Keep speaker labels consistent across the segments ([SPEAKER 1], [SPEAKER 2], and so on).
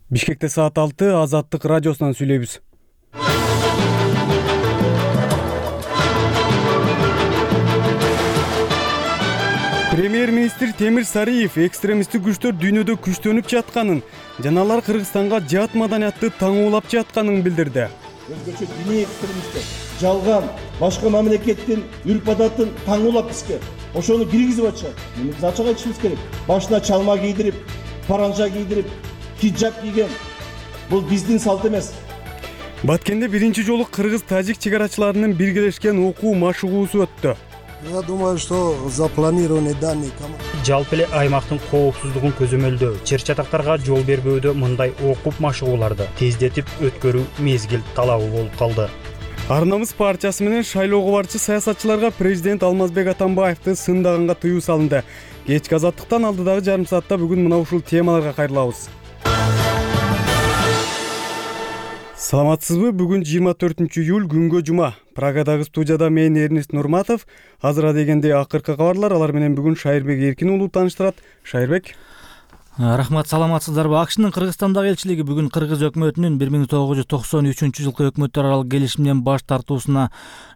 [SPEAKER 1] Бишкекте саат 6 Азаттык радиосунан сүйлөйбүз. Премьер-министр Темир Сариев экстремисттик күчтөр дүйнөдө күчтөнүп жатканын жана алар Кыргызстанга жат маданиятты таңуулап жатканын билдирди.
[SPEAKER 2] Өзгөчө диний экстремисттер жалган башка мамлекеттин үрп-адатын таңуулап бизге ошону киргизип атышат. Биз ачык айтышыбыз керек. Башына чалма кийдирип, паранжа кийдирип, хиджаб кийген бул биздин салт эмес.
[SPEAKER 1] Баткенде биринчи жолу кыргыз-тажик чегарачыларынын биргелешкен окуу машыгуусу өттү.
[SPEAKER 3] Я думаю, что запланированный данный
[SPEAKER 4] жалпы эле аймактын коопсуздугун көзөмөлдөө, чыр-чатактарга жол бербөөдө мындай окуп машыгууларды тездетип өткөрүү мезгил талабы болуп калды.
[SPEAKER 1] Арнамыз партиясы менен шайлоого барчу саясатчыларга президент Алмазбек Атамбаевди сындаганга тыюу салынды. Кечки Азаттыктан алдыдагы жарым саатта бүгүн мына ушул темаларга кайрылабыз. Саламатсызбы? Бүгүн 24-июль күнгө жума. Прагадагы студияда мен Эрнест Нурматов. Азыр дегенде акыркы кабарлар, алар менен бүгүн Шайырбек Эркин уулу тааныштырат. Шайырбек.
[SPEAKER 5] Рахмат, саламатсыздарбы? АКШнын Кыргызстандагы элчилиги бүгүн кыргыз өкмөтүнүн 1993-жылкы өкмөттөр аралык келишимден баш тартуусуна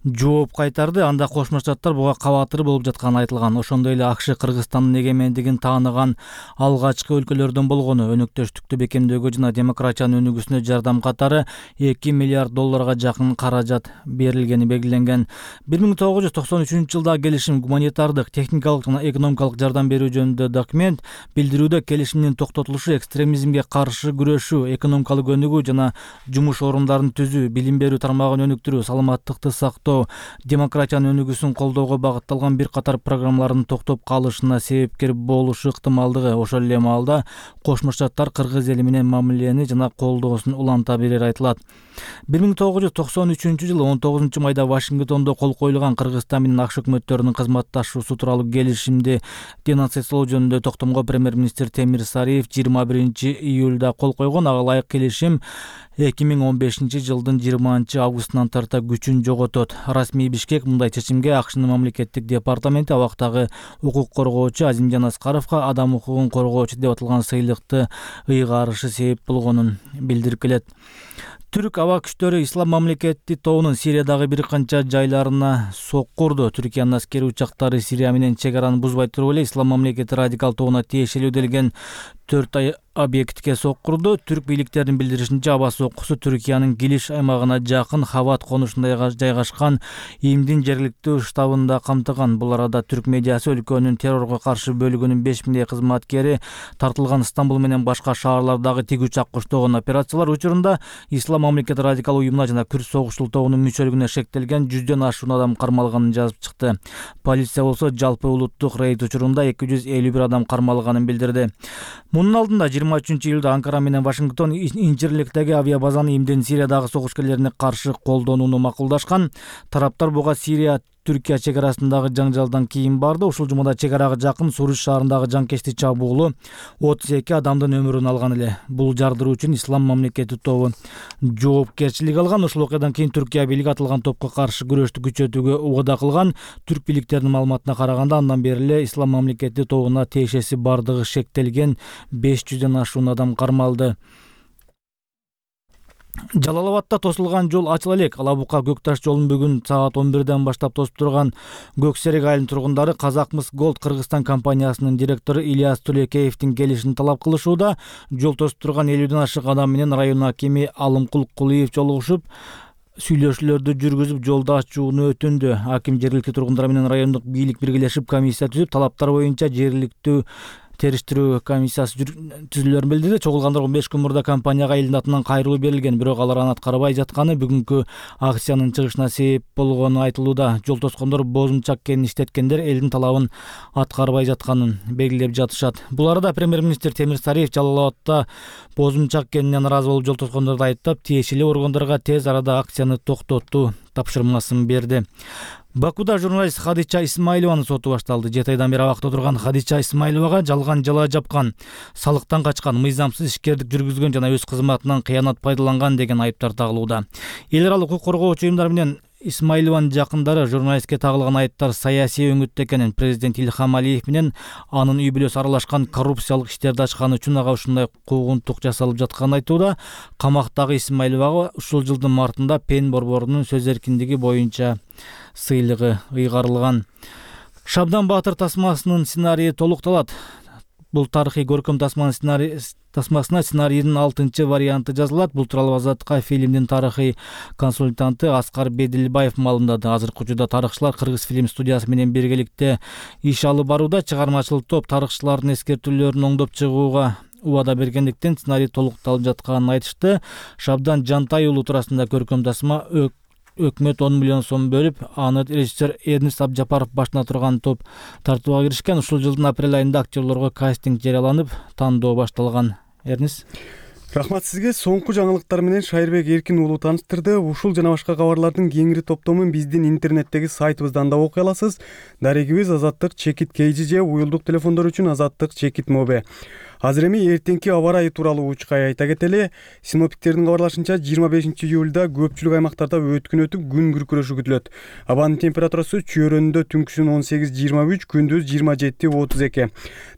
[SPEAKER 5] жооп кайтарды. Анда Кошмо Штаттар буга кабатыр болуп жатканы айтылган. Ошондой эле АКШ Кыргызстандын эгемендигин тааныган алгачкы өлкөлөрдөн болгону, өнөктөштүктү бекемдөөгө жана демократиянын өнүгүүсүнө жардам катары $2 миллиард жакын каражат берилгени белгиленген. 1993 жылдагы келишим гуманитардык, техникалык жана экономикалык жардам берүү жөнүндө документ. Билдирүүдө келишимдин токтотулушу экстремизмге каршы күрөшүү, экономикалык өнүгүү жана жумуш орундарын түзүү, билим берүү тармагын өнүктүрүү, саламаттыкты сактоо, демократиянын өнүгүүсүн колдоого багытталган бир катар программалардын токтоп калышына себепкер болушу ыктымалдыгы. Ошол эле маалда Кошмо Штаттар кыргыз эли менен мамилени жана колдоосун уланта берери айтылат. 1993 жылы 19 майда Вашингтондо кол коюлган Кыргызстан менен АКШ өкмөттөрүнүн кызматташуусу тууралуу келишимди денонсациялоо жөнүндө токтомго премьер-министр Темир Сариев 21-июлда кол койгон. Ага ылайык келишим 2015 жылдын 20 августунан тарта күчүн жоготот. Расмий Бишкек мындай чечимге АКШнын мамлекеттик департаменти абактагы укук коргоочу Азимжан Аскаровго адам укугун коргоочу деп аталган сыйлыкты ыйгарышы себеп болгонун билдирип келет. Түрк аба күчтөрү Ислам мамлекети тобунун Сириядагы бир канча жайларына соккурду. Түркиянын аскери учактары Сирия менен чек араны бузбай туруп эле Ислам мамлекети радикал тобуна тиешелүү делген 4 объектке соккурду. Түрк бийликтеринин билдиришинче, аба соккусу Түркиянын Гилиш аймагына жакын Хават конушунда жайгашкан ИИМдин жергиликтүү штабында камтыган. Бул арада түрк медиасы өлкөнүн террорго каршы бөлүгүнүн 5000 кызматкери тартылган. Стамбул менен башка шаарлардагы тик учак коштогон операциялар учурунда Ислам мамлекети радикал уюмуна жана Күрд согушчул тобунун мүчөлүгүнө шектелген 100дөн ашуун адам кармалганын жазып чыкты. Полиция болсо жалпы улуттук рейд учурунда 251 адам кармалганын билдирди. Мунун алдында 23-июлда Анкара менен Вашингтон Инчирликтеги авиабазаны ИИМдин Сириядагы согушкерлерине каршы колдонууну макулдашкан. Тараптар буга Сирия Түркия чек арасындагы жаңжалдан кийин барды. Ушул жумада чек арага жакын Суруч шаарындагы жанкечтик чабуулу 32 адамдын өмүрүн алган эле. Бул жардыруу үчүн Ислам мамлекети тобу жоопкерчилик алган. Ушул окуядан кийин Түркия бийлиги аталган топко каршы күрөштү күчөтүүгө убада кылган. Түрк бийликтеринин маалыматына караганда, андан бери эле Ислам мамлекети тобуна тиешеси бардыгы шектелген 500дөн ашуун адам кармалды. Жалал-Абадта тосулган жол ачыла элек. Алабука Көкташ жолун бүгүн саат 11ден баштап тосуп турган Көксерек айылынын тургундары Казакмыс Голд Кыргызстан компаниясынын директору Ильяс Тулекеевдин келишин талап кылышууда. Жол тосуп турган 50ден ашык адам менен район акими Алымкул Кулиев жолугушуп, сүйлөшүүлөрдү жүргүзүп, жолду ачууну өтүндү. Аким жергиликтүү тургундар менен райондук бийлик биргелешип комиссия түзүп, талаптар боюнча жергиликтүү териштирүү комиссиясы түзүлөрүн билдирди. Чогулгандар 15 күн мурда компанияга элдин атынан кайрылуу берилген, бирок алар аны аткарбай жатканы бүгүнкү акциянын чыгышына себеп болгону айтылууда. Жол тоскондор бозумчак кенин иштеткендер элдин талабын аткарбай жатканын белгилеп жатышат. Бул арада премьер-министр Темир Сариев Жалал-Абадта бозумчак кенине наразы болуп жол тоскондорду айыптап, тиешелүү органдарга тез арада акцияны токтотуу тапшырмасын берди. Бакуда журналист Хадича Исмайлованын соту башталды. 7 айдан бери абакта отурган Хадича Исмайловага жалган жала жапкан, салыктан качкан, мыйзамсыз ишкердик жүргүзгөн жана өз кызматынан кыянат пайдаланган деген айыптар тагылууда. Эл аралык укук коргоочу уюмдар менен Исмаилованын жакындары журналистке тагылган айыптар саясий өңүттө экенин, президент Илхам Алиев менен анын үй бүлөсү аралашкан коррупциялык иштерди ачканы үчүн ага ушундай куугунтук жасалып жатканын айтууда. Камактагы Исмаиловага ушул жылдын мартында Пен борборунун сөз эркиндиги боюнча сыйлыгы ыйгарылган. Шабдан Баатыр тасмасынын сценарийи толукталат. Бул тарыхый көркөм тасмасына сценарийдин 6-чы варианты жазылат. Бул тууралуу Азаттыкка фильмдин тарыхый консультанты Аскар Бедилбаев маалымдады. Азыркы учурда тарыхчылар Кыргыз фильм студиясы менен биргеликте иш алып барууда. Чыгармачылык топ тарыхчылардын эскертүүлөрүн оңдоп чыгууга убада бергендиктен сценарий толукталып жатканын айтышты. Шабдан Жантай уулу туурасында көркөм тасма өкмөт 10 миллион сом бөлүп, аны режиссер Эрнест Абжапаров башына турган топ тартууга киришкен. Ушул жылдын апрель айында актерлорго кастинг жарыяланып, тандоо башталган. Эрнест.
[SPEAKER 1] Рахмат сизге. Соңку жаңылыктар менен Шайырбек Эркин уулу тааныштырды. Ушул жана башка кабарлардын кеңири топтомун биздин интернеттеги сайтыбыздан да окуй аласыз. Дарегибиз Азаттык чекит KG же уюлдук телефондор үчүн Азаттык чекит МОБ. Азыр эми эртеңки аба ырайы тууралуу учкай айта кетели. Синоптиктердин кабарлашынча 25 июлда көпчүлүк аймактарда өткүн өтүп, күн күркүрөшү күтүлөт. Абанын температурасы чөйрөндө түнкүсүн 18-23, күндүз 27-32.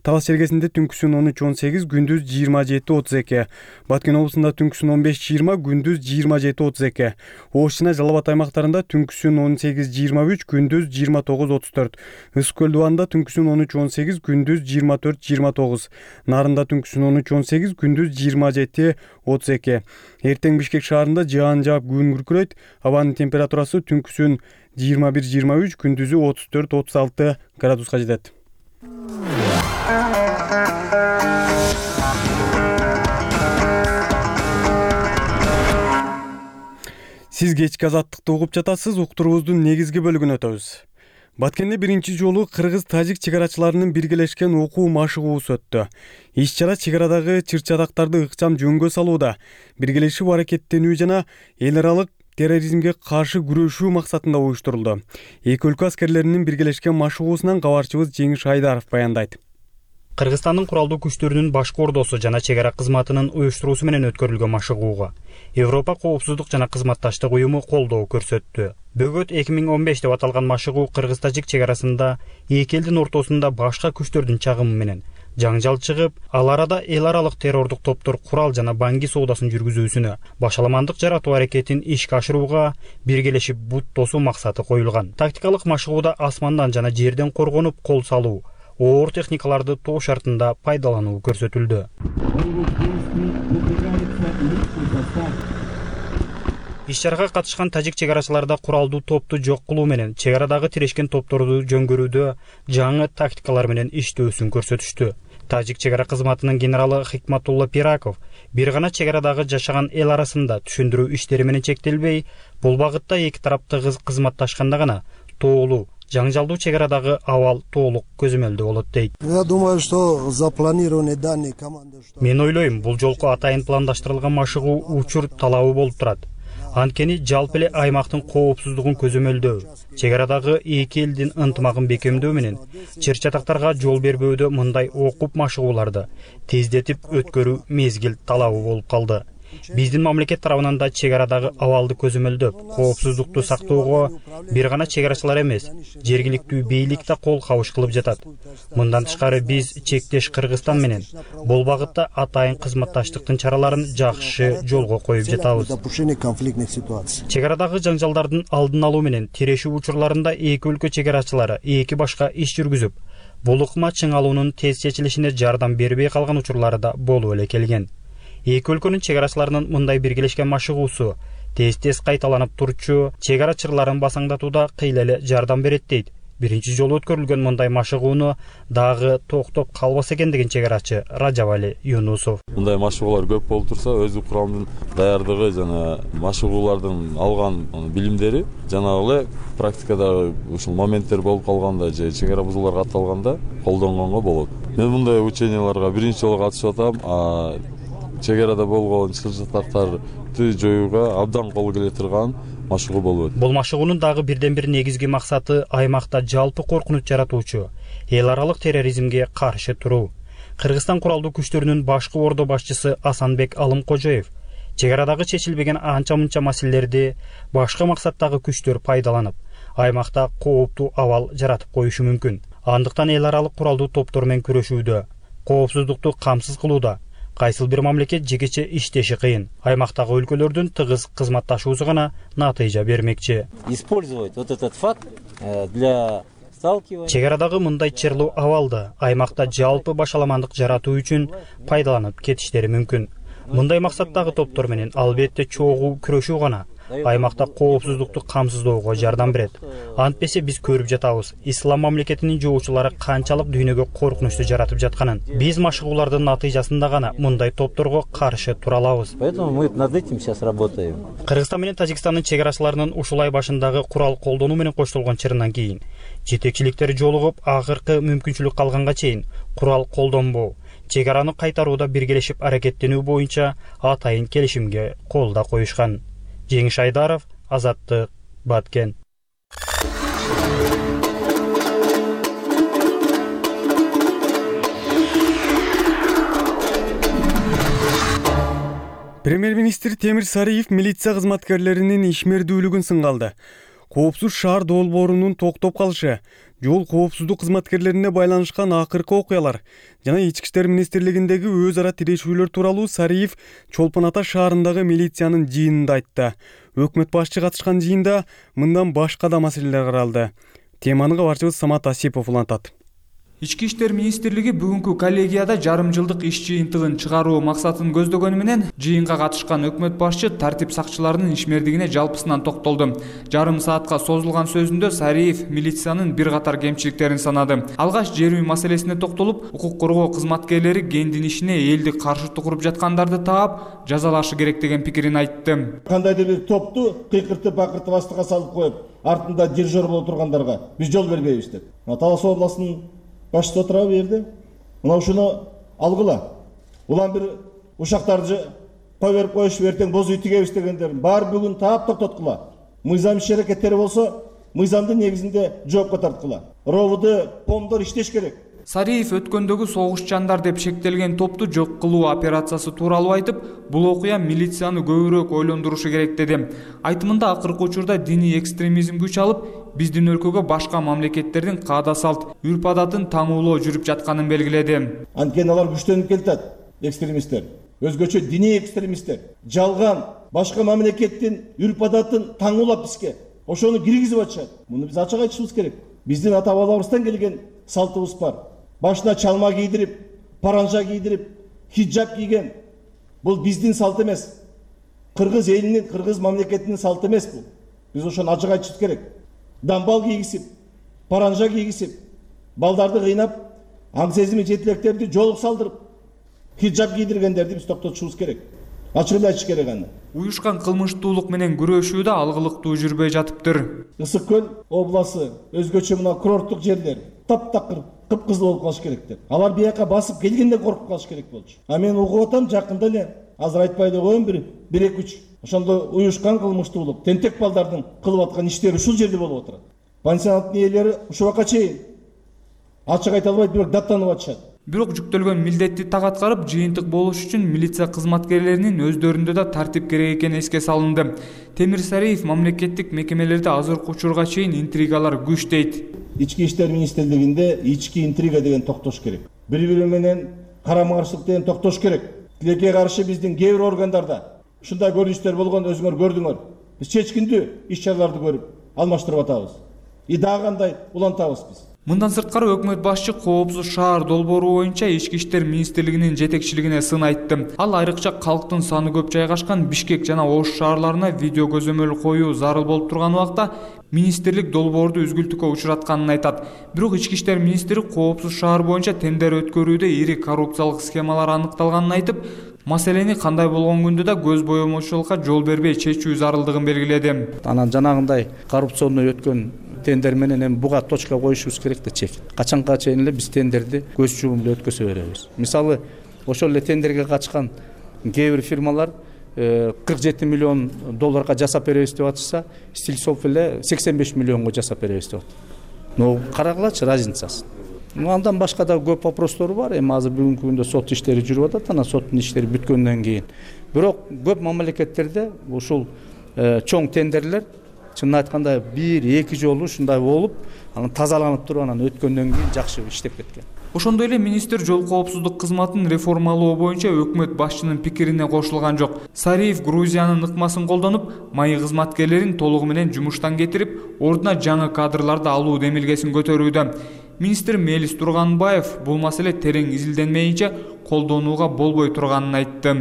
[SPEAKER 1] Талас чергесинде түнкүсүн 13-18, күндүз 27-32. Баткен облусунда түнкүсүн 15-20, күндүз 27-32. Ош жана Жалал Абад аймактарында түнкүсүн 18-23, күндүз 29-34. Ысык көл дубанында түнкүсүн 13-18, күндүз 24-29. Нарында түнкүсүн 13-18, күндүз 27-32. Эртең Бишкек шаарында жаан жаап күн күркүрөйт. Абанын температурасы түнкүсүн 21-23, күндүзү 34-36 градуска жетет. Сиз кечки Азаттыкты угуп жатасыз. Уктуруубуздун негизги бөлүгүнө өтөбүз. Баткенде биринчи жолу кыргыз-тажик чегарачыларынын биргелешкен окуу машыгуусу өттү. Иш-чара чегарадагы чыр-чатактарды ыкчам жөнгө салууда, биргелешип аракеттенүү жана эл аралык терроризмге каршы күрөшүү максатында уюштурулду. Эки өлкө аскерлеринин биргелешкен машыгуусунан кабарчыбыз Жеңиш Айдаров баяндайт.
[SPEAKER 4] Кыргызстандын куралдуу күчтөрүнүн башкы ордосу жана чегара кызматынын уюштуруусу менен өткөрүлгөн машыгууга Европа коопсуздук жана кызматташтык уюму колдоо көрсөттү. Бөгөт 2015 деп аталган машыгуу кыргыз-тажик чегарасында эки элдин ортосунда башка күчтөрдүн чагымы менен жаңжал чыгып, ал арада эл аралык террордук топтор курал жана банги соодасын жүргүзүүсүнө, башаламандык жаратуу аракетин ишке ашырууга биргелешип бут тосуу максаты коюлган. Тактикалык машыгууда асмандан жана жерден коргонуп кол салуу, оор техникаларды тоо шартында пайдалануу көрсөтүлдү. Иш-чарага катышкан тажик чегарачыларда куралдуу топту жок кылуу менен чегарадагы тирешкен топторду жөнгөрүүдө жаңы тактикалар менен иштөөсүн көрсөтүштү. Тажик чегара кызматынын генералы Хикматулла Пираков бир гана чегарадагы жашаган эл арасында түшүндүрүү иштери менен чектелбей, бул багытта эки тарап тыгыз кызматташканда гана тоолуу жаңжалдуу чегарадагы абал толук көзөмөлдө болот дейт.
[SPEAKER 3] Я думаю, что запланированные данные команды.
[SPEAKER 4] Мен ойлойм, бул жолку атайын пландаштырылган машыгуу учур талабы болуп турат. Анткени жалпы эле аймактын коопсуздугун көзөмөлдөө, чегарадагы эки элдин ынтымагын бекемдөө менен чыр-чатактарга жол бербөөдө мындай окуп машыгууларды тездетип өткөрүү мезгил талабы болуп калды. Биздин мамлекет тарабынан да чегарадагы абалды көзөмөлдөп, коопсуздукту сактоого бир гана чегарачылар эмес, жергиликтүү бийлик да кол кабыш кылып жатат. Мындан тышкары биз чектеш Кыргызстан менен бул багытта атайын кызматташтыктын чараларын жакшы жолго коюп жатабыз. Чегарадагы жаңжалдардын алдын алуу менен тирешүү учурларында эки өлкө чегарачылары эки башка иш жүргүзүп, бул ыкма чыңалуунун тез чечилишине жардам бербей калган учурлары да болуп эле келген. Эки өлкөнүн чегарачыларынын мындай биргелешкен машыгуусу тез кайталанып турчу чегара чырларын басаңдатууда кыйла эле жардам берет дейт. Биринчи жолу өткөрүлгөн мындай машыгууну дагы токтоп калбаса экен деген чегарачы Ражабали Юнусов.
[SPEAKER 6] Мындай машыгуулар көп болуп турса, өзү курамдын даярдыгы жана машыгуулардын алган билимдери жанагы эле практикада ушул моменттер болуп калганда же чегара бузуулар катталганда колдонгонго болот. Мен мындай ученияларга биринчи жолу катышып атам. Чегарада болгон чыр-чатактарды жоюуга абдан кол келе турган машыгуу болуп өтүп.
[SPEAKER 4] Бул машыгуунун дагы бирден бир негизги максаты аймакта жалпы коркунуч жаратуучу эл аралык терроризмге каршы туруу. Кыргызстан куралдуу күчтөрүнүн башкы ордо башчысы Асанбек Алымкожоев Чек арадагы чечилбеген анча мынча маселелерди башка максаттагы күчтөр пайдаланып, аймакта кооптуу абал жаратып коюшу мүмкүн. Андыктан эл аралык куралдуу топтор менен күрөшүүдө, коопсуздукту камсыз кылууда кайсыл бир мамлекет жекече иштеши кыйын. Аймактагы өлкөлөрдүн тыгыз кызматташуусу гана натыйжа бермекчи.
[SPEAKER 7] Использовать вот этот факт для сталкивания.
[SPEAKER 4] Чек арадагы мындай чырлуу абалды аймакта жалпы башаламандык жаратуу үчүн пайдаланып кетиштери мүмкүн. Мындай максаттагы топтор менен албетте чогуу күрөшүү гана аймакта коопсуздукту камсыздоого жардам берет. Антпесе биз көрүп жатабыз, ислам мамлекетинин жоочулары канчалык дүйнөгө коркунучту жаратып жатканын. Биз машыгуулардын натыйжасында гана мындай топторго каршы тура алабыз.
[SPEAKER 7] Поэтому мы над этим сейчас работаем.
[SPEAKER 4] Кыргызстан менен Тажикстандын чек арачыларынын ушул ай башындагы курал колдонуу менен коштолгон чырынан кийин жетекчиликтери жолугуп, акыркы мүмкүнчүлүк калганга чейин курал колдонбоо, чек араны кайтарууда биргелешип аракеттенүү боюнча атайын келишимге кол да коюшкан. Жеңиш Айдаров, Азаттык, Баткен.
[SPEAKER 1] Премьер-министр Темир Сариев милиция кызматкерлеринин ишмердүүлүгүн сынга алды. Коопсуз шаар долбоорунун токтоп калышы, жол коопсуздук кызматкерлерине байланышкан акыркы окуялар жана Ички иштер министрлигиндеги өз ара тирешүүлөр тууралуу Сариев Чолпон Ата шаарындагы милициянын жыйынында айтты. Өкмөт башчы катышкан жыйында мындан башка да маселелер каралды. Теманы кабарчыбыз Самат Асипов улантат.
[SPEAKER 8] Ички иштер министрлиги бүгүнкү коллегияда жарым жылдык иш жыйынтыгын чыгаруу максатын көздөгөнү менен жыйынга катышкан өкмөт башчы тартип сакчыларынын ишмердигине жалпысынан токтолду. Жарым саатка созулган сөзүндө Сариев милициянын бир катар кемчиликтерин санады. Алгач жер үй маселесине токтолуп, укук коргоо кызматкерлери кендин ишине элди каршылык куруп жаткандарды таап, жазалашы керек деген пикирин айтты.
[SPEAKER 2] Кандайдыр бир топту кыйкыртып акыртып астыга салып коюп, артында дирижер боло тургандарга биз жол бербейбиз деп. Талас областынын башчысы отурабы жерде. Мына ушуну алгыла. Улам бир ушактарды кой берип коюшуп эртең боз үй тигебиз дегендерин баары бүгүн таап токтоткула. Мыйзам иш аракеттери болсо, мыйзамдын негизинде жоопко тарткыла. РОВД, помдор иштеш керек.
[SPEAKER 8] Сариев өткөндөгү согушчандар деп шектелген топту жок кылуу операциясы тууралуу айтып, бул окуя милицияны көбүрөөк ойлондурушу керек деди. Айтымында акыркы учурда диний экстремизм күч алып, биздин өлкөгө башка мамлекеттердин каада салт, үрп адатын таңуулоо жүрүп жатканын белгиледи.
[SPEAKER 2] Анткени алар күчтөнүп келатат, экстремисттер. Өзгөчө диний экстремисттер жалган башка мамлекеттин үрп адатын таңуулап бизге ошону киргизип атышат. Муну биз ачык айтышыбыз керек. Биздин ата бабаларыбыздан келген салтыбыз бар. Башына чалма кийдирип, паранжа кийдирип, хиджаб кийген. Бул биздин салт эмес. Кыргыз элинин, кыргыз мамлекетинин салты эмес бул. Биз ошону ачык айтышыбыз керек. Дамбал кийгизип, паранжа кийгизип, балдарды кыйнап, аң сезими жетилектерди жолук салдырып, хиджаб кийдиргендерди биз токтотушубуз керек. Ачык эле айтыш керек аны.
[SPEAKER 8] Уюшкан кылмыштуулук менен күрөшүүдө алгылыктуу жүрбөй жатыптыр.
[SPEAKER 2] Ысык көл обласы өзгөчө мына курорттук жерлер таптакыр кыпкызыл болуп калыш керектер. Алар бияка басып келгенде коркуп калыш керек болчу. А мен угуп атам жакында эле, азыр айтпай эле коеюн, 1-2-3 ошондо уюшкан кылмыштуулук, тентек балдардын кылып аткан иштери ушул жерде болуп атат. Пансионаттын ээлери ушул убакка чейин ачык айта албайт, бирок даттанып атышат.
[SPEAKER 8] Бирок жүктөлгөн милдетти так аткарып, жыйынтык болуш үчүн милиция кызматкерлеринин өздөрүндө да тартип керек экени эске салынды. Темир Сариев мамлекеттик мекемелерде азыркы учурга чейин интригалар күч дейт.
[SPEAKER 2] Ички иштер министрлигинде ички интрига деген токтош керек. Бири-бири менен карама-каршылык деген токтош керек. Тилекке каршы биздин кээ бир органдарда ушундай көрүнүштөр болгон, өзүңөр көрдүңөр. Биз чечкиндүү иш-чараларды көрүп алмаштырып атабыз. И дагы кандай улантабыз биз.
[SPEAKER 8] Мындан сырткары өкмөт башчы коопсуз шаар долбоору боюнча Ички иштер министрлигинин жетекчилигине сын айтты. Ал айрыкча калктын саны көп жайгашкан Бишкек жана Ош шаарларына видео көзөмөл коюу зарыл болуп турган убакта министрлик долбоорду үзгүлтүккө учуратканын айтат. Бирок Ички иштер министри коопсуз шаар боюнча тендер өткөрүүдө ири коррупциялык схемалар аныкталганын айтып, маселени кандай болгон күндө да көз боемочулукка жол бербей чечүү зарылдыгын белгиледи.
[SPEAKER 9] Анан жанагындай коррупционный өткөн тендер менен эми буга точка коюшубуз керек да чек. Качанга чейин эле биз тендерди көз жумуп эле өткөзө беребиз. Мисалы, ошол эле тендерге катышкан кээ бир фирмалар 47 миллион долларга жасап беребиз деп атышса, Стильсов эле 85 миллионго жасап беребиз деп атат. Но карагылачы разницасын. Андан башка да көп вопростор бар. Эми азыр бүгүнкү күндө сот иштери жүрүп атат. Анан соттун иштери бүткөндөн кийин Бирок көп мамлекеттерде ушул чоң тендерлер чынын айтканда 1-2 жолу ушундай болуп, анан тазаланып туруп анан өткөндөн кийин жакшы иштеп кеткен.
[SPEAKER 8] Ошондой эле министр жол коопсуздук кызматын реформалоо боюнча өкмөт башчынын пикирине кошулган жок. Сариев Грузиянын ыкмасын колдонуп, майы кызматкерлерин толугу менен жумуштан кетирип, ордуна жаңы кадрларды алуу демилгесин көтөрүүдө. Министр Мелис Турганбаев бул маселе терең изилденмейинче колдонууга болбой турганын айтты.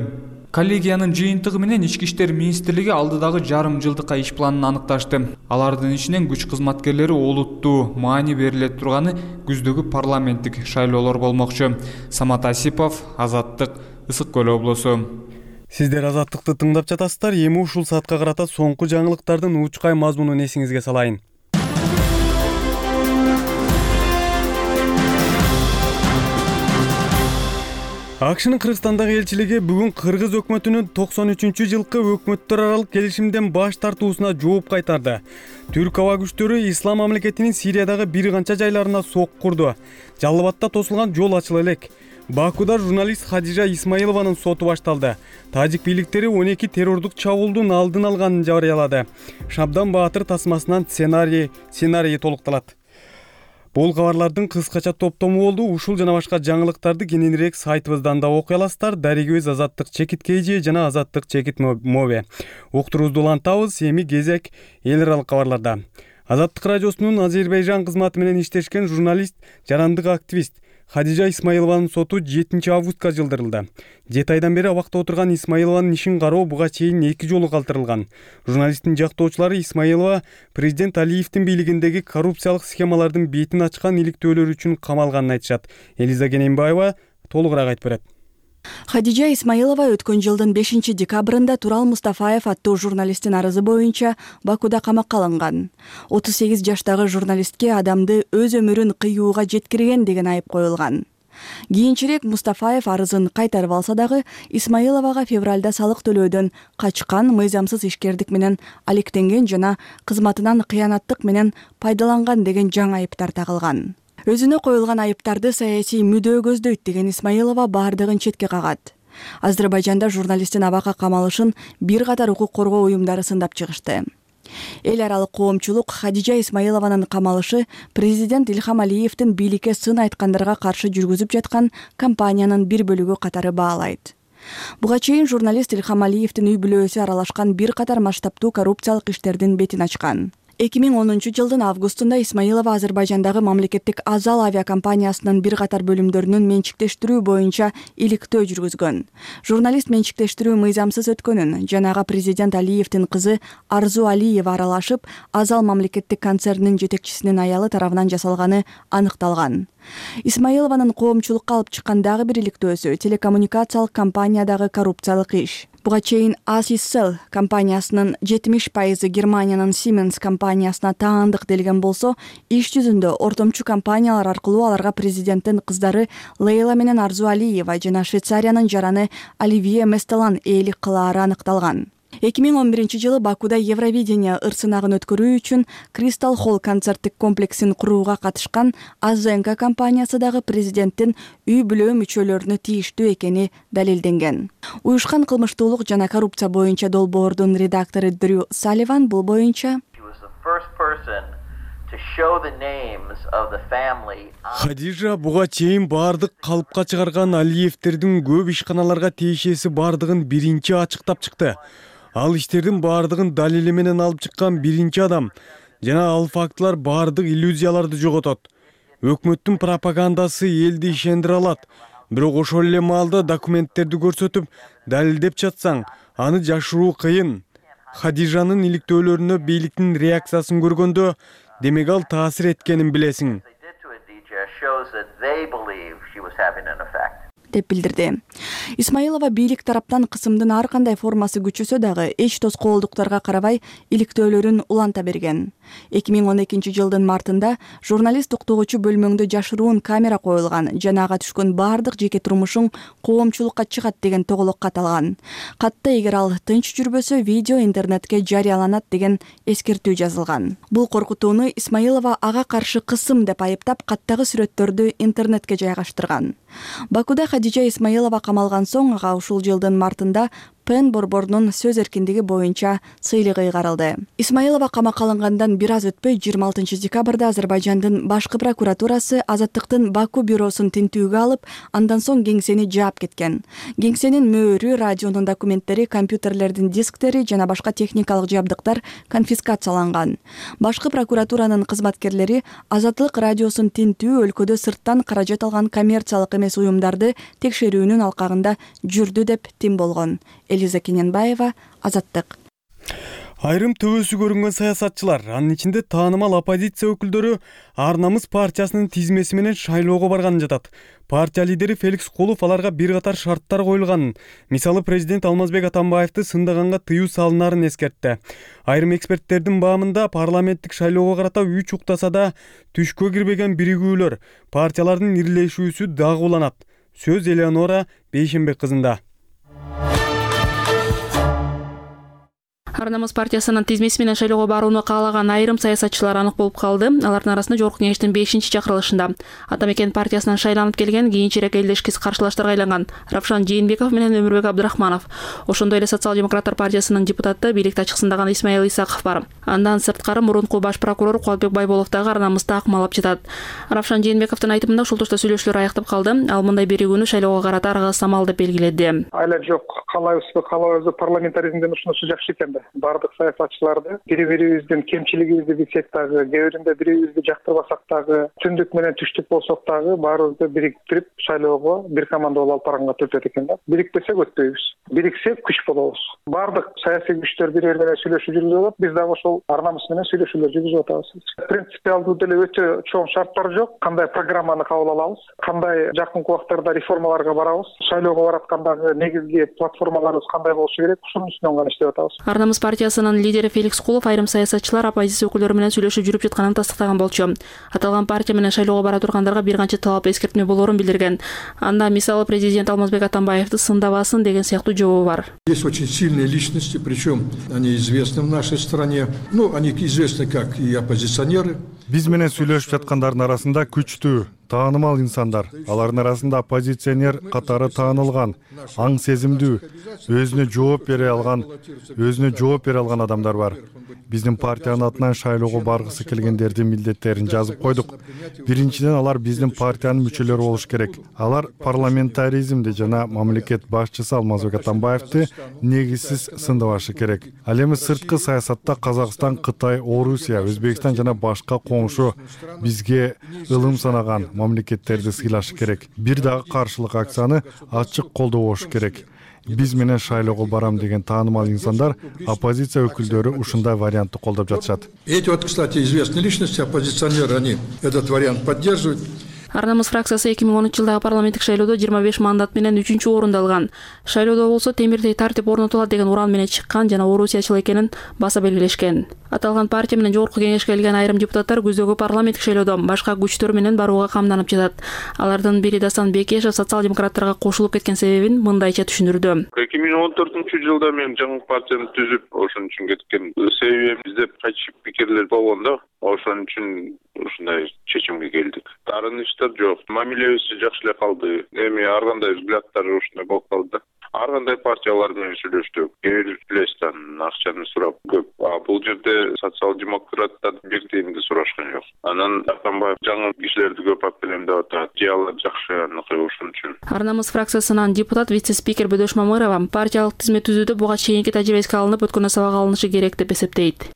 [SPEAKER 8] Коллегиянын жыйынтыгы менен Ички иштер министрлиги алдыдагы жарым жылдыкка иш планын аныкташты. Алардын ичинен күч кызматкерлери олуттуу маани бериле турганы күздөгү парламенттик шайлоолор болмокчу. Самат Асипов, Азаттык, Ысык Көл облусу.
[SPEAKER 1] Сиздер Азаттыкты тыңдап жатасыздар. Эми ушул саатка карата соңку жаңылыктардын учкай мазмунун эсиңизге салайын. АКШнын Кыргызстандагы элчилиги бүгүн Кыргыз өкмөтүнүн 93-жылкы өкмөттөр аралык келишимден баш тартуусуна жооп кайтарды. Түрк аба күчтөрү Ислам мамлекетинин Сириядагы бир канча жайларына сок курду. Жалал Абадта тосулган жол ачыла элек. Бакуда журналист Хадижа Исмаилованын соту башталды. Тажик бийликтери 12 террордук чабуулдун алдын алганын жарыялады. Шабдан Баатыр тасмасынан сценарий толукталат. Бул кабарлардын кыскача топтому болду. Ушул жана башка жаңылыктарды кененирээк сайтыбыздан да окуй аласыздар. Дарегибиз Азаттык чекит KG жана Азаттык чекит Mobi. Уктуруубузду улантабыз. Эми кезек эл аралык кабарларда. Азаттык радиосунун Азербайжан кызматы менен иштешкен журналист, жарандык активист Хадижа Исмаилованын соту 7 августка жылдырылды. 7 айдан бери абакта отурган Исмаилованын ишин кароо буга чейин 2 жолу калтырылган. Журналисттин жактоочулары Исмаилова президент Алиевдин бийлигиндеги коррупциялык схемалардын бетин ачкан иликтөөлөр үчүн камалганын айтышат. Элиза Кененбаева толугураак айтып берет.
[SPEAKER 10] Хадижа Исмаилова өткөн жылдын 5 декабрында Турал Мустафаев аттуу журналисттин арызы боюнча Бакуда камакка алынган. 38 жаштагы журналистке адамды өз өмүрүн кыюуга жеткирген деген айып коюлган. Кийинчерээк Мустафаев арызын кайтарып алса дагы Исмаиловага февралда салык төлөөдөн качкан, мыйзамсыз ишкердик менен алектенген жана кызматынан кыянаттык менен пайдаланган деген жаңы айыптар тагылган. Өзүнө коюлган айыптарды саясий мүдөө көздөйт деген Исмаилова бардыгын четке кагат. Азербайжанда журналисттин абакка камалышын бир катар укук коргоо уюмдары сындап чыгышты. Эл аралык коомчулук Хадижа Исмаилованын камалышы президент Ильхам Алиевдин бийликке сын айткандарга каршы жүргүзүп жаткан кампаниянын бир бөлүгү катары баалайт. Буга чейин журналист Ильхам Алиевдин үй бүлөсү аралашкан бир катар масштабтуу коррупциялык иштердин бетин ачкан. 2010 жылдын августунда Исмаилова Азербайжандагы мамлекеттик Азал авиакомпаниясынын бир катар бөлүмдөрүнүн менчиктештирүү боюнча иликтөө жүргүзгөн. Журналист менчиктештирүү мыйзамсыз өткөнүн жанагы президент Алиевдин кызы Арзу Алиева аралашып, Азал мамлекеттик концернинин жетекчисинин аялы тарабынан жасалганы аныкталган. Исмаилованын коомчулукка алып чыккан дагы бир иликтөөсү телекоммуникациялык компаниядагы коррупциялык иш. Буга чейин Асиссел компаниясынын 70% Германиянын Siemens компаниясына таандык делген болсо, иш жүзүндө ортомчу компаниялар аркылуу аларга президенттин кыздары Лейла менен Арзу Алиева жана Швейцариянын жараны Оливье Местелан ээлик кылаары аныкталган. 2011 жылы Бакуда Евровидение ырсынагын өткөрүү үчүн Crystal Hall концерттик комплексин курууга катышкан Азенка компаниясы дагы президенттин үй бүлө мүчөлөрүнө тийиштүү экени далилденген. Уюшкан кылмыштуулук жана коррупция боюнча долбоордун редактору Дрю Салливан бул боюнча
[SPEAKER 1] Хадижа буга чейин бардык калыпка чыгарган Алиевдердин көп ишканаларга тиешеси бардыгын биринчи ачыктап чыкты. Ал иштердин бардыгын далили менен алып чыккан биринчи адам жана ал фактылар бардык иллюзияларды жоготот. Өкмөттүн пропагандасы элди ишендире алат. Бирок ошол эле маалда документтерди көрсөтүп, далилдеп жатсаң, аны жашыруу кыйын. Хадижанын иликтөөлөрүнө бийликтин реакциясын көргөндө, демек ал таасир эткенин билесиң.
[SPEAKER 10] деп билдирди. Исмаилова бийлик тараптан кысымдын ар кандай формасы күчөсө дагы эч тоскоолдуктарга карабай иликтөөлөрүн уланта берген. 2012 жылдын мартында журналист уктугучу бөлмөңдө жашыруун камера коюлган жана ага түшкөн бардык жеке турмушуң коомчулукка чыгат деген тоголок кат алган. Катта эгер ал тынч жүрбөсө видео интернетке жарыяланат деген эскертүү жазылган. Бул коркутууну Исмаилова ага каршы кысым деп айыптап, каттагы сүрөттөрдү интернетке жайгаштырган. Бакуда Хадижа Исмаилова камалган соң ага ушул жылдын мартында Пен борборунун сөз эркиндиги боюнча сыйлыгы ыйгарылды. Исмаилова камакка алынгандан бир аз өтпөй 26 декабрда Азербайжандын башкы прокуратурасы Азаттыктын Баку бюросун тинтүүгө алып, андан соң кеңсени жаап кеткен. Кеңсенин мөөрү, радионун документтери, компьютерлердин дисктери жана башка техникалык жабдыктар конфискацияланган. Башкы прокуратуранын кызматкерлери Азаттык радиосун тинтүү өлкөдө сырттан каражат алган коммерциялык эмес уюмдарды текшерүүнүн алкагында жүрдү деп тим болгон. Элиза Кененбаева, Азаттык.
[SPEAKER 1] Айрым төбөсү көрүнгөн саясатчылар, анын ичинде таанымал оппозиция өкүлдөрү Ар намыс партиясынын тизмеси менен шайлоого барганын жатат. Партия лидери Феликс Кулов аларга бир катар шарттар коюлганын, мисалы президент Алмазбек Атамбаевди сындаганга тыюу салынарын эскертти. Айрым эксперттердин баамында парламенттик шайлоого карата 3 уктасада түшкө кирбеген биригүүлөр, партиялардын ирилешүүсү дагы уланат. Сөз Элеонора Бейшенбек кызында.
[SPEAKER 11] Ар намыс партиясынын тизмеси менен шайлоого барууну каалаган айрым саясатчылар анык болуп калды. Алардын арасында Жогорку кеңештин 5-чакырылышында Атамекен партиясынан шайланып келген кийинчерээк элдешкис каршылаштарга айланган Равшан Жээнбеков менен Өмүрбек Абдрахманов, ошондой эле Социал-демократтар партиясынын депутаты бийликти ачыксындаган Исмаил Исаков бар. Андан сырткары мурунку баш прокурор Кубатбек Байболов дагы Ар намыста акмалап жатат. Равшан Жээнбековдун айтымында ушул тушта сүйлөшүүлөр аяктап калды. Ал мындай биригүүнү шайлоого карата арга самал деп белгиледи.
[SPEAKER 12] Айла жок, каалайбызбы, каалабайбызбы, парламентаризмдин ушунусу жакшы экен да. Бардык саясатчыларды бири-бирибиздин кемчилигибизди билсек дагы, кээ биринде бири-бирибизди жактырбасак дагы, түндүк менен түштүк болсок дагы баарыбызды бириктирип шайлоого бир команда болуп алып барганга түртөт экен да. Бирикпесек өтпөйбүз. Бириксек күч болобуз. Бардык саясий күчтөр бири-бири менен сүйлөшүү жүргүзүп атат. Биз дагы ошол Ар намыс менен сүйлөшүүлөр жүргүзүп атабыз. Принципиалдуу деле өтө чоң шарттар жок. Кандай программаны кабыл алабыз, кандай жакынкы убактарда реформаларга барабыз, шайлоого бараткандагы негизги платформаларыбыз кандай болушу керек, ушунун үстүнөн гана иштеп атабыз.
[SPEAKER 11] Ар намыс партиясынын лидери Феликс Кулов айрым саясатчылар оппозиция өкүлдөрү менен сүйлөшүп жүрүп жатканын тастыктаган болчу. Аталган партия менен шайлоого бара тургандарга бир канча талап эскертме болоорун билдирген. Анда мисалы президент Алмазбек Атамбаевди сындабасын деген сыяктуу жообу бар.
[SPEAKER 13] Есть очень сильные личности, причем они известны в нашей стране. Ну, они известны как и оппозиционеры.
[SPEAKER 14] Биз менен сүйлөшүп жаткандардын арасында күчтүү, таанымал инсандар, алардын арасында оппозиционер катары таанылган, аң сезимдүү, өзүнө жооп бере алган адамдар бар. Биздин партиянын атынан шайлоого баргысы келгендердин милдеттерин жазып койдук. Биринчиден алар биздин партиянын мүчөлөрү болуш керек. Алар парламентаризмди жана мамлекет башчысы Алмазбек Атамбаевди негизсиз сындабашы керек. Ал эми сырткы саясатта Казакстан, Кытай, Орусия, Өзбекстан жана башка коңшу бизге ылым санаган мамлекеттерди сыйлашы керек. Бир дагы каршылык акцияны ачык колдоо болушу керек. Биз менен шайлоого барам деген таанымал инсандар, оппозиция өкүлдөрү ушундай вариантты колдоп жатышат.
[SPEAKER 13] Эти вот, кстати, известные личности, оппозиционеры, они этот вариант поддерживают.
[SPEAKER 11] Ар намыс фракциясы 2010-жылдагы парламенттик шайлоодо 25 мандат менен 3-орунду алган. Шайлоодо болсо темирдей тартип орнотулат деген уран менен чыккан жана орусиячыл экенин баса белгилешкен. Аталган партия менен Жогорку кеңешке келген айрым депутаттар күздөгү парламенттик шайлоодо башка күчтөр менен барууга камданып жатат. Алардын бири Дасан Бекешев социал-демократтарга кошулуп кеткен себебин мындайча түшүндүрдү.
[SPEAKER 15] 2014-жылда мен жаңы партияны түзүп, ошон үчүн кеткен. Себебим издеп кайтышып пикирлер болгондо, ошон үчүн ушундай чечимге келдик. Тарыныштар жок. Мамилебиз жакшы эле калды. Эми ар кандай взгляддар ушундай болуп калды. Ар кандай партиялар менен сүйлөштүк. Келестен акчаны сурап көп. Бул жерде социал-демократтар бир тыйынды сурашкан жок. Анан Атамбаев жаңы кишилерди көп алып келем деп атат. Диалог жакшы аныкы ошон үчүн.
[SPEAKER 11] Ар намыс фракциясынан депутат вице-спикер Бөдөш Мамырова партиялык тизме түзүүдө буга чейинки тажрыйбасы алынып, өткөн сабак алынышы керек деп эсептейт.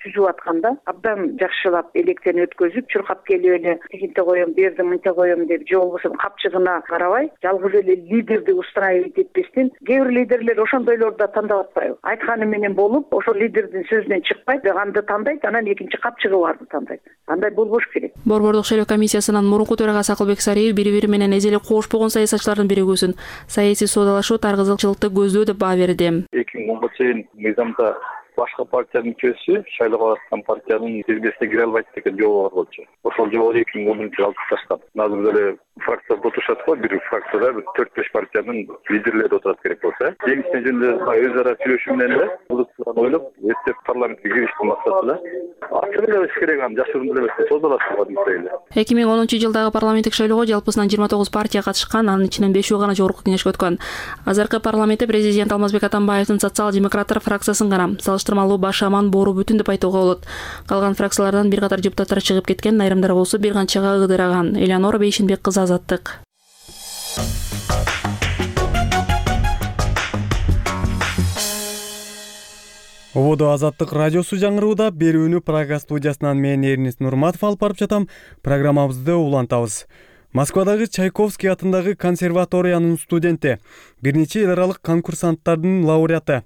[SPEAKER 16] Түзүп атканда абдан жакшылап электен өткөзүп, чуркап келип эле тигинте коем, берди, мынча коем деп же болбосо капчыгына карабай, жалгыз эле лидерди устраивать этпестен, кээ бир лидерлер ошондойлорду да тандап атпайбы. Айтканы менен болуп, ошол лидердин сөзүнөн чыкпайт, аны тандайт, анан экинчи капчыгы барды тандайт. Андай болбош керек.
[SPEAKER 11] Борбордук шайлоо комиссиясынын мурунку төрагасы Акылбек Сариев бири-бири менен эзеле кошпогон саясатчылардын биригүүсүн саясий соодалашуу таргызылчылыкты көздөө деп баа берди.
[SPEAKER 17] 2010 чейин мыйзамда башка партиянын мүчөсү шайлоого аткан партиянын тизмесине кире албайт деген жобо бар болчу. Ошол жобону 2010-жылы алып таштап. Азыр деле фракцияда отурушат го, бир фракцияда 4-5 партиянын лидерлери отурат керек болсо. Жеңишне жөнүндө өз ара сүйлөшүү менен эле музыканы ойлоп, эптеп парламентке кириштин максатында ачык эле болуш керек, аны жашыруун эле эмес, созулат деп ойлойм.
[SPEAKER 11] 2010-жылдагы парламенттик шайлоого жалпысынан 29 партия катышкан, анын ичинен 5 гана жогорку кеңешке өткөн. Азыркы парламентте президент Алмазбек Атамбаевдин социал-демократтар фракциясын гана салыштырмалуу баш аман боору бүтүн деп айтууга болот. Калган фракциялардан бир катар депутаттар чыгып кеткен, айрымдары болсо бир канчага ыдыраган. Элеонора Бейшенбек кызы, Азаттык.
[SPEAKER 1] Ободо Азаттык радиосу жаңырууда, берүүнү Прага студиясынан мен Эрнест Нурматов алып барып жатам. Программабызды улантабыз. Москвадагы Чайковский атындагы консерваториянын студенти, бир нече эл аралык конкурсанттардын лауреаты,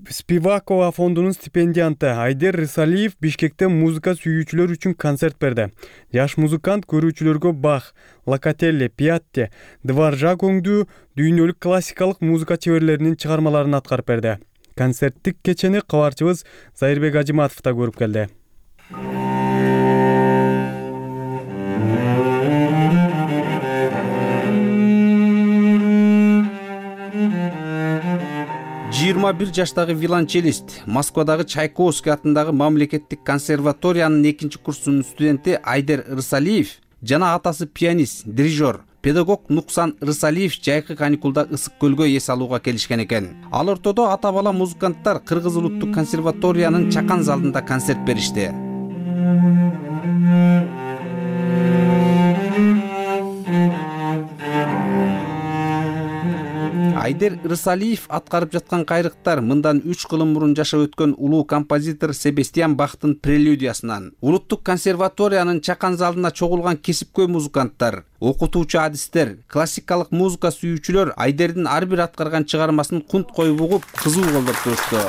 [SPEAKER 1] Спивакова фондунун стипендианты Айдер Рысалиев Бишкекте музыка сүйүүчүлөр үчүн концерт берди. Жаш музыкант көрүүчүлөргө Бах, Локотелли, Пиатти, Дваржак өңдүү дүйнөлүк классикалык музыка чеберлеринин чыгармаларын аткарып берди. Концерттик кечени кабарчыбыз Зайырбек Ажиматов да көрүп келди.
[SPEAKER 18] бир жаштагы виолончелист, Москвадагы Чайковский атындагы мамлекеттик консерваториянын 2-курсунун студенти Айдер Рысалиев жана атасы пианист, дирижер, педагог Нуксан Рысалиев жайкы каникулда Ысык көлгө эс алууга келишкен экен. Ал ортодо ата бала музыканттар Кыргыз улуттук консерваториянын чакан залында концерт беришти. Айдер Рысалиев аткарып жаткан кайрыктар мындан 3 кылым мурун жашап өткөн улуу композитор Себастьян Бахтын прелюдиясынан. Улуттук консерваториянын чакан залына чогулган кесипкөй музыканттар, окутуучу адистер, классикалык музыка сүйүүчүлөр Айдердин ар бир аткарган чыгармасын кунт коюп угуп, кызуу колдоп турушту.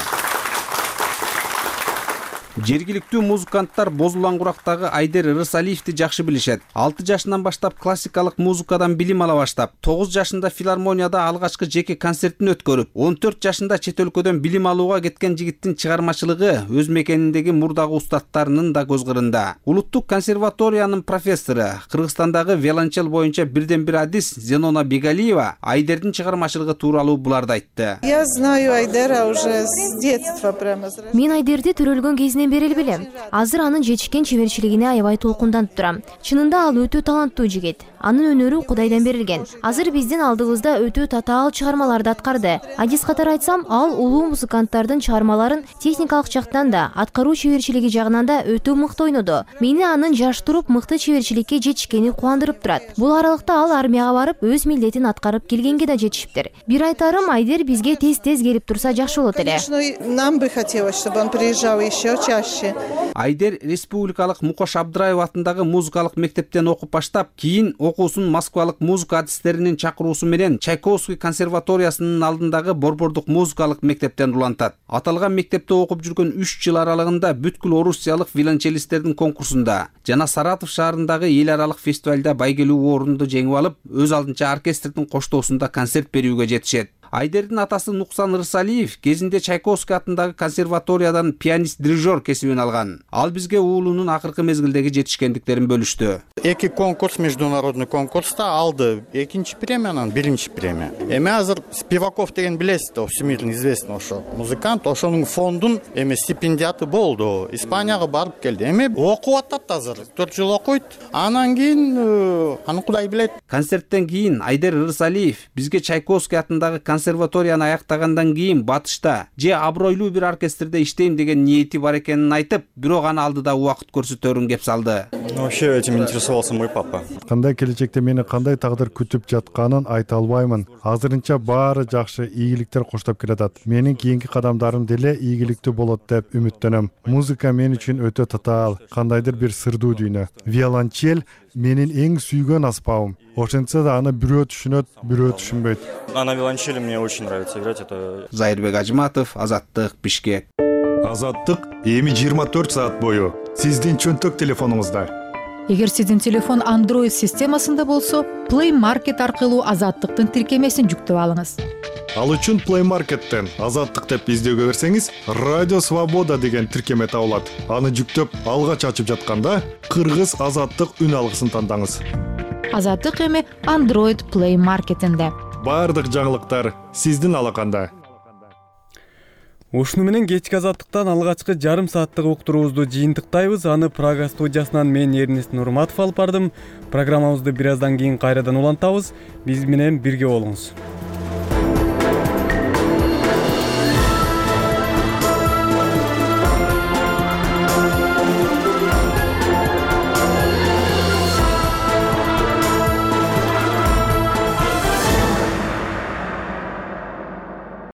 [SPEAKER 18] Жергиликтүү музыканттар Бозулан курактагы Айдер Рысалиевди жакшы билишет. 6 жашынан баштап классикалык музыкадан билим ала баштап, 9 жашында филармонияда алгачкы жеке концертин өткөрүп, 14 жашында чет өлкөдөн билим алууга кеткен жигиттин чыгармачылыгы өз мекениндеги мурдагы устаттарынын да көз кырында. Улуттук консерваториянын профессору, Кыргызстандагы виолончел боюнча бирден бир адис Зенона Бегалиева Айдердин чыгармачылыгы тууралуу буларды айтты.
[SPEAKER 19] Я знаю Айдера уже с детства прямо.
[SPEAKER 20] Мен Айдерди төрөлгөн кезинен бери билем. Азыр анын жетишкен чеберчилигине аябай толкунданып турам. Чынында ал өтө таланттуу жигит. Анын өнөрү Кудайдан берилген. Азыр биздин алдыбызда өтө татаал чыгармаларды аткарды. Адис катары айтсам, ал улуу музыканттардын чыгармаларын техникалык жактан да, аткаруу чеберчилиги жагынан да өтө мыкты ойноду. Мени анын жаш туруп мыкты чеберчиликке жетишкени кубандырып турат. Бул аралыкта ал армияга барып, өз милдетин аткарып келгенге да жетишиптир. Бир айтарым, Айдер бизге тез-тез келип турса жакшы болот эле.
[SPEAKER 19] Нам бы хотелось, чтобы он приезжал еще чаще.
[SPEAKER 18] Айдер республикалык Мукош Абдраев атындагы музыкалык мектептен окуп баштап, кийин окуусун Москвалык музыка адистеринин чакыруусу менен Чайковский консерваториясынын алдындагы Борбордук музыкалык мектептен улантат. Аталган мектепте окуп жүргөн 3 жыл аралыгында бүткүл орусиялык виолончелисттердин конкурсунда жана Саратов шаарындагы эл аралык фестивалда байгелүү орунду жеңип алып, өз алдынча оркестрдин коштоосунда концерт берүүгө жетишет. Айдердин атасы Нуксан Рысалиев кезинде Чайковский атындагы консерваториядан пианист-дирижер кесибин алган. Ал бизге уулунун акыркы мезгилдеги жетишкендиктерин бөлүштү.
[SPEAKER 21] Эки конкурс, международный конкурста алды. Экинчи премиянан биринчи премия. Эми азыр Спиваков деген билесиз, всемирно известный ошо музыкант, ошонун фондун стипендиаты болду. Испанияга барып келди. Эми окуп атат азыр. 4 жыл окуйт. Анан кийин аны Кудай билет.
[SPEAKER 18] Концерттен кийин Айдер Рысалиев бизге Чайковский атындагы консерваторияны аяктагандан кийин Батышта же абройлуу бир оркестрде иштейм деген ниети бар экенин айтып, бирок аны алдыда убакыт көрсөтөрүн кеп салды.
[SPEAKER 21] Вообще этим интересовался мой папа.
[SPEAKER 14] Кандай келечекте мени кандай тагдыр күтүп жатканын айта албаймын. Азырынча баары жакшы, ийгиликтер коштоп келатат. Менин кийинки кадамдарым деле ийгиликтүү болот деп үмүттөнөм. Музыка мен үчүн өтө татаал, кандайдыр бир сырдуу дүйнө. Виолончель менин эң сүйгөн аспабым. Ошентсе да аны бирөө түшүнөт, бирөө түшүнбөйт.
[SPEAKER 21] На виолончели мне очень нравится играть. Это
[SPEAKER 18] Зайырбек Ажиматов, Азаттык, Бишкек.
[SPEAKER 22] Азаттык эми 24 саат бою сиздин чөнтөк телефонуңузда.
[SPEAKER 23] Эгер сиздин телефон Android системасында болсо, Play Market аркылуу Азаттыктын тиркемесин жүктөп алыңыз.
[SPEAKER 22] Ал үчүн Play Market'тен Азаттык деп издөөгө берсеңиз, Радио Свобода деген тиркеме табылат. Аны жүктөп, алгач ачып жатканда Кыргыз Азаттык үн алгысын тандаңыз.
[SPEAKER 23] Азаттык эми Android Play Market'инде.
[SPEAKER 22] Бардык жаңылыктар сиздин алаканда.
[SPEAKER 1] Ушуну менен кечки Азаттыктан алгачкы жарым сааттык уктуруубузду жыйынтыктайбыз. Аны Прага студиясынан мен Эрнест Нурматов алып бардым. Программабызды бир аздан кийин кайрадан улантабыз. Биз менен бирге болуңуз.